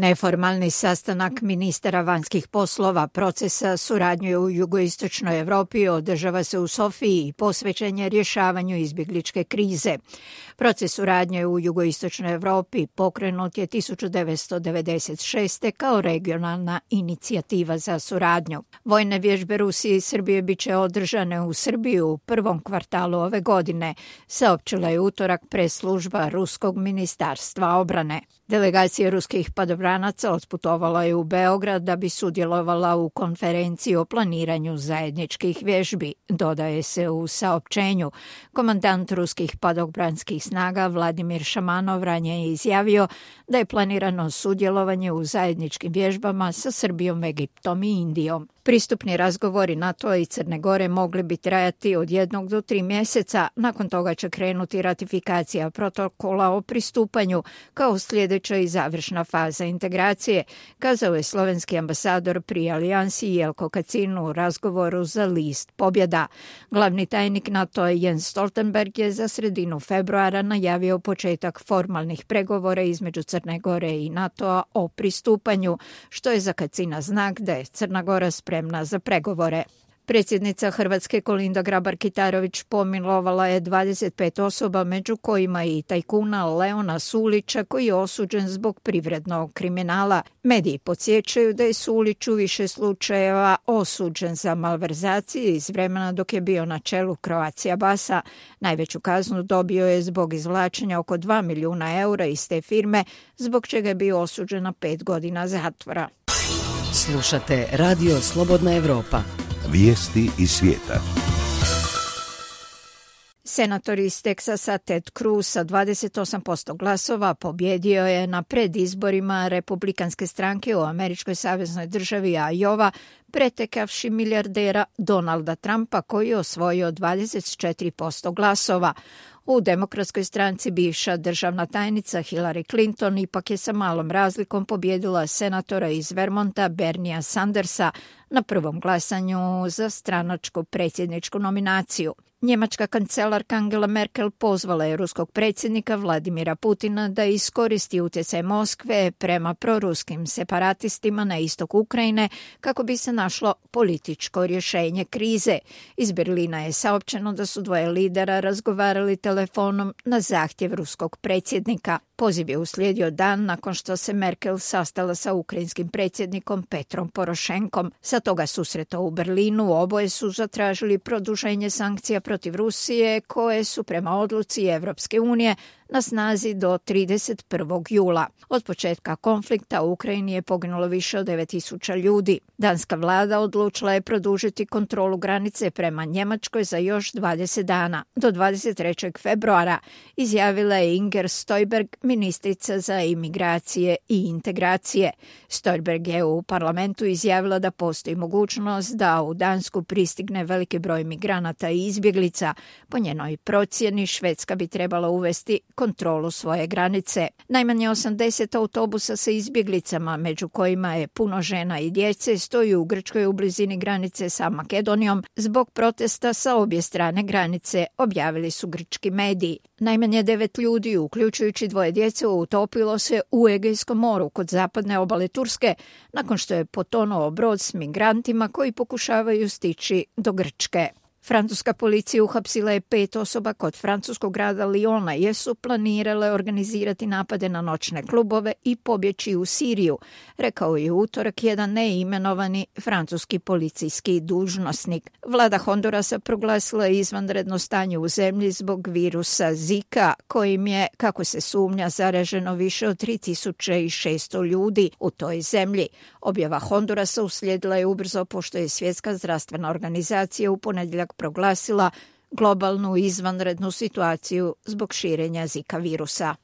Neformalni sastanak ministara vanjskih poslova procesa suradnje u jugoistočnoj Evropi održava se u Sofiji i posvećen je rješavanju izbjegličke krize. Proces suradnje u jugoistočnoj Evropi pokrenut je 1996. kao regionalna inicijativa za suradnju. Vojne vježbe Rusije i Srbije bit će održane u Srbiji u prvom kvartalu ove godine, saopćila je utorak press-služba Ruskog ministarstva obrane. Delegacija ruskih padobranaca otputovala je u Beograd da bi sudjelovala u konferenciji o planiranju zajedničkih vježbi, dodaje se u saopćenju. Komandant ruskih padobranskih snaga Vladimir Šamanov ranije je izjavio da je planirano sudjelovanje u zajedničkim vježbama sa Srbijom, Egiptom i Indijom. Pristupni razgovori NATO i Crne Gore mogli bi trajati od 1 do 3 mjeseca, nakon toga će krenuti ratifikacija protokola o pristupanju kao sljedeća i završna faza integracije, kazao je slovenski ambasador pri alijansi Jelko Kacin u razgovoru za list Pobjeda. Glavni tajnik NATO Jens Stoltenberg je za sredinu februara najavio početak formalnih pregovora između Crne Gore i NATO-a o pristupanju, što je za Kacina znak da je Crna Gora spremna za pregovore. Predsjednica Hrvatske Kolinda Grabar-Kitarović pomilovala je 25 osoba, među kojima i tajkuna Leona Sulića, koji je osuđen zbog privrednog kriminala. Mediji podsjećaju da je Sulić u više slučajeva osuđen za malverzacije iz vremena dok je bio na čelu Croatia Basa. Najveću kaznu dobio je zbog izvlačenja oko 2 milijuna eura iz te firme, zbog čega je bio osuđen na 5 godina zatvora. Slušate Radio Slobodna Evropa. Vijesti iz svijeta. Senator iz Teksasa Ted Cruz sa 28% glasova pobjedio je na predizborima republikanske stranke u američkoj saveznoj državi Iowa, pretekavši milijardera Donalda Trumpa koji je osvojio 24% glasova. U demokratskoj stranci bivša državna tajnica Hillary Clinton ipak je sa malom razlikom pobjedila senatora iz Vermonta Bernija Sandersa na prvom glasanju za stranačku predsjedničku nominaciju. Njemačka kancelarka Angela Merkel pozvala je ruskog predsjednika Vladimira Putina da iskoristi utjecaj Moskve prema proruskim separatistima na istok Ukrajine kako bi se našlo političko rješenje krize. Iz Berlina je saopćeno da su dvoje lidera razgovarali telefonom na zahtjev ruskog predsjednika. Poziv je uslijedio dan nakon što se Merkel sastala sa ukrajinskim predsjednikom Petrom Porošenkom. Sa toga susreta u Berlinu oboje su zatražili produženje sankcija protiv Rusije koje su prema odluci Evropske unije na snazi do 31. jula. Od početka konflikta u Ukrajini je poginulo više od 9.000 ljudi. Danska vlada odlučila je produžiti kontrolu granice prema Njemačkoj za još 20 dana. Do 23. februara izjavila je Inger Støjberg, ministrica za imigracije i integracije. Støjberg je u parlamentu izjavila da postoji mogućnost da u Dansku pristigne veliki broj migranata i izbjeglica. Po njenoj procjeni Švedska bi trebala uvesti kontrolu svoje granice. Najmanje 80 autobusa sa izbjeglicama, među kojima je puno žena i djece, stoji u Grčkoj u blizini granice sa Makedonijom zbog protesta sa obje strane granice, objavili su grčki mediji. Najmanje 9 ljudi, uključujući 2 djece, utopilo se u Egejskom moru kod zapadne obale Turske nakon što je potonuo brod s migrantima koji pokušavaju stići do Grčke. Francuska policija uhapsila je 5 osoba kod francuskog grada Lyona jer su planirale organizirati napade na noćne klubove i pobjeći u Siriju, rekao je utorak jedan neimenovani francuski policijski dužnosnik. Vlada Hondurasa proglasila je izvanredno stanje u zemlji zbog virusa Zika, kojim je, kako se sumnja, zaraženo više od 3600 ljudi u toj zemlji. Objava Hondurasa uslijedila je ubrzo pošto je Svjetska zdravstvena organizacija u ponedjeljak proglasila globalnu izvanrednu situaciju zbog širenja Zika virusa.